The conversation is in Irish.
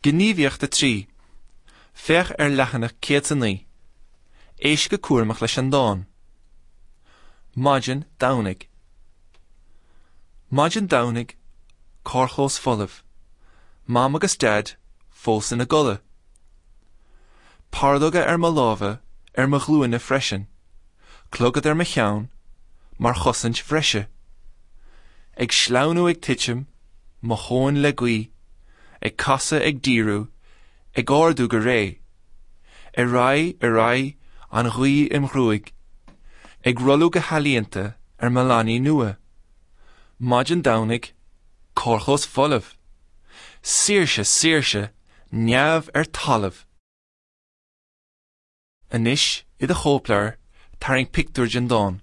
Gníomhaíocht 3. Féach ar leathanach 109. Éist go cúramach leis an dán. Maidin Domhnaigh. Maidin Domhnaigh, carrchlós folamh. Mam agus Daid fós ina gcodladh. Pardóga ar mo lámha, ar mo ghlúine freisin. Clogad ar mo cheann, mar chosaint bhreise. Ag sleamhnú ag titim, mo thóin le gaoth, ag casadh ag díriú, ag ardú go réidh. Ar aghaidh, ar aghaidh, an ghaoth im ghruaig. Ag rolladh go healaíonta ar mo leanaí nua. Maidin Domhnaigh, carrchlós folamh. Saoirse, saoirse, neamh ar talamh. Anois, i do chóipleabhar, tarraing pictiúr den dán.